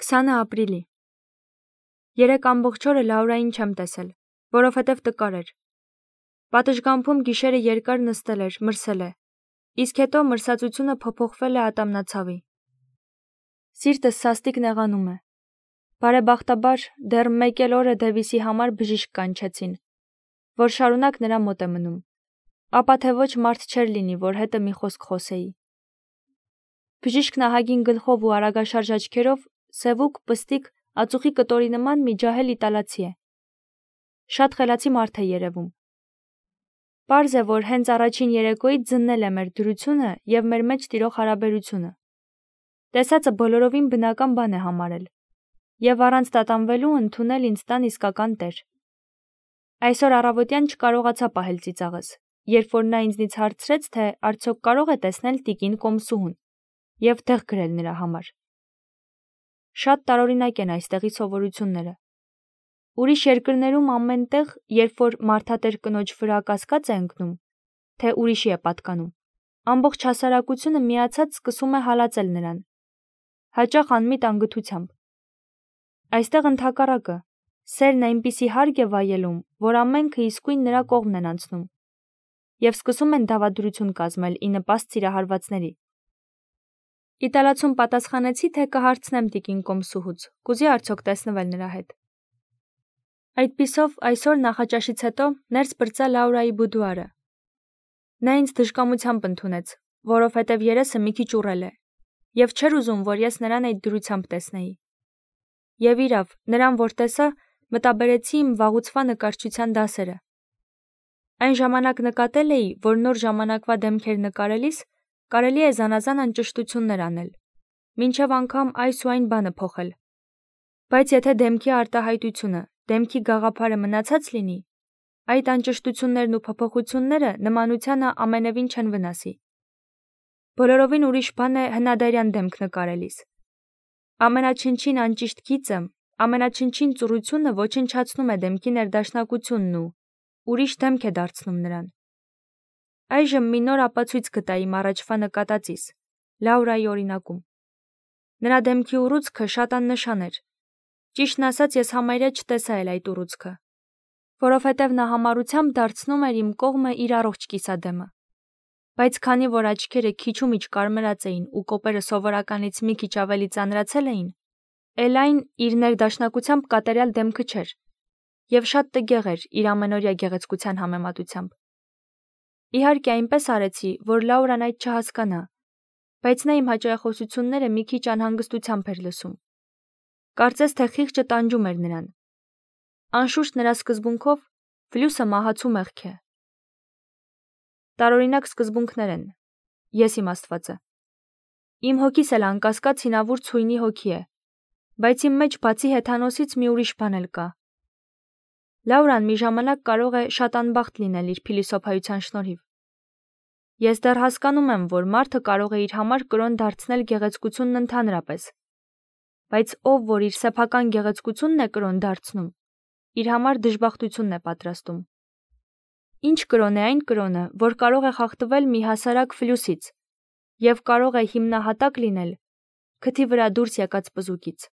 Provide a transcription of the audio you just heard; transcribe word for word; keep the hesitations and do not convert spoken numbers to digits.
քսանը ապրիլի։ Երեք ամբողջ օրը Լաուրային չեմ տեսել, որովհետև տկար էր։ Պատշգամբում գիշերը երկար նստել էր, մրսել է, իսկ հետո մրսածությունը փոփոխվել է ատամնացավի։ Սիրտս սաստիկ նեղանում է։ Բարեբախտաբար դեռ մեկ էլ օրը Դևիսի համար բժիշկ կանչեցին, որ շարունակ նրա մոտ է մնում, ապա թե ոչ մարդ չէր լինի, որ հետը մի խոսք խոսեի։ Բժիշկն ահագին գլխով ու արագաշարժ աչքերով, սևուկ, պստիկ, ածուխի կտորի նման մի ջահել իտալացի է։ Շատ խելացի մարդ է երևում։ Պարզ է, որ հենց առաջին երեկոյից ձննել է մեր դրությունը և մեր մեջ տիրող հարաբերությունը։ Տեսածը բոլորովին բնական բան է համարել և առանց տատանվելու ընդունել ինձ տան իսկական տեր։ Այսօր առավոտյան չկարողացա պահել ծիծաղս, երբ որ նա ինձնից հարցրեց, թե արդյոք կարող է տեսնել տիկին Կոմսուհուն և տեղ գրել նրա համար։ Շատ տարօրինակ են այստեղի սովորությունները։ Ուրիշ երկրներում ամեն տեղ, երբ որ մարդատեր կնոջ վրա կասկած է ընկնում, թե ուրիշի է պատկանում, ամբողջ հասարակությունը միացած սկսում է հալածել նրան, հաճախ անմիտ անգթությամբ։ Այստեղ ընդհակառակը, սերն այնպիսի հարկ է վայելում, որ ամենքը իսկույն նրա կողմն են անցնում և սկսում են դավադրություն կազմել ի նպաստ սիրահարվածների։ Իտալացուն պատասխանեցի, թե կհարցնեմ տիկին Կոմսուհուց, կուզի արդյոք տեսնվել նրա հետ։ Այդպիսով այսօր նախաճաշից հետո ներս պրծա Լաուրայի բուդուարը։ Նա ինձ դժկամությամբ ընդունեց, որովհետև երեսը մի քիչ ուռել է, և չէր ուզում, որ ես նրան այդ դրությամբ տեսնեի։ Եվ իրավ, նրան որ տեսա, մտաբերեցի իմ վաղուցվա նկարչության դասերը։ Այն ժամանակ նկատել էի, որ նոր ժամանակվա դեմքեր նկարելիս կարելի է զանազան անճշտություններ անել, մինչև անգամ այս ու այն բանը փոխել։ Բայց եթե դեմքի արտահայտությունը, դեմքի գաղափարը մնացած լինի, այդ անճշտություններն ու փոփոխությունները նմանությանը ամենևին չեն վնասի։ Բոլորովին ուրիշ բան է հնադարյան դեմք նկարելիս։ Ամենաչնչին անճիշտ գիծը, ամենաչնչին ծուռությունը ոչնչացնում է դեմքի ներդաշնակությունն ու ուրիշ դեմք է դարձնում նրան։ Այժմ մի նոր ապացույց գտա իմ առաջվա նկատածիս, Լաուրայի օրինակում։ Նրա դեմքի ուռուցքը շատ աննշան էր։ Ճիշտն ասած, ես համարյա չտեսա էլ այդ ուռուցքը, որովհետև նա համառությամբ դարձնում էր իմ կողմը իր առողջ կիսադեմը։ Բայց քանի որ աչքերը քիչումիչ կարմրած էին ու կոպերը սովորականից մի քիչ ավելի ծանրացել էին, էլ այն իր ներդաշնակությամբ կատարյալ դեմքը չէր և շատ տգեղ էր իր ամենօրյա գեղեցկության համեմատությամբ։ Իհարկե այնպես արեցի, որ Լաուրան այդ չհասկանա, բայց նա իմ հաճախոսությունները մի քիչ անհանգստությամբ էր լսում։ Կարծես թե խիղճը տանջում էր նրան։ Անշուշտ նրա սկզբունքով ֆլյուսը մահացու մեղք է։ Տարօրինակ սկզբունքներ են, ես իմաստվածը։ Իմ հոգիս էլ անկասկած հինավուրց հույնի հոգի է, բայց իմ մեջ բացի հեթանոսից մի ուրիշ բան էլ կա։ Լաուրան մի ժամանակ կարող է շատ անբախտ լինել իր փիլիսոփայության շնորհիվ։ Ես դեռ հասկանում եմ, որ մարդը կարող է իր համար կրոն դարձնել գեղեցկությունն ընդհանրապես, բայց ով որ իր սեփական գեղեցկությունն է կրոն դարձնում, իր համար դժբախտությունն է պատրաստում։ Ինչ կրոն է այն կրոնը, որ կարող է խախտվել մի հասարակ ֆլյուսից և կարող է հիմնահատակ լինել քթի վրա դուրս եկած պզուկից։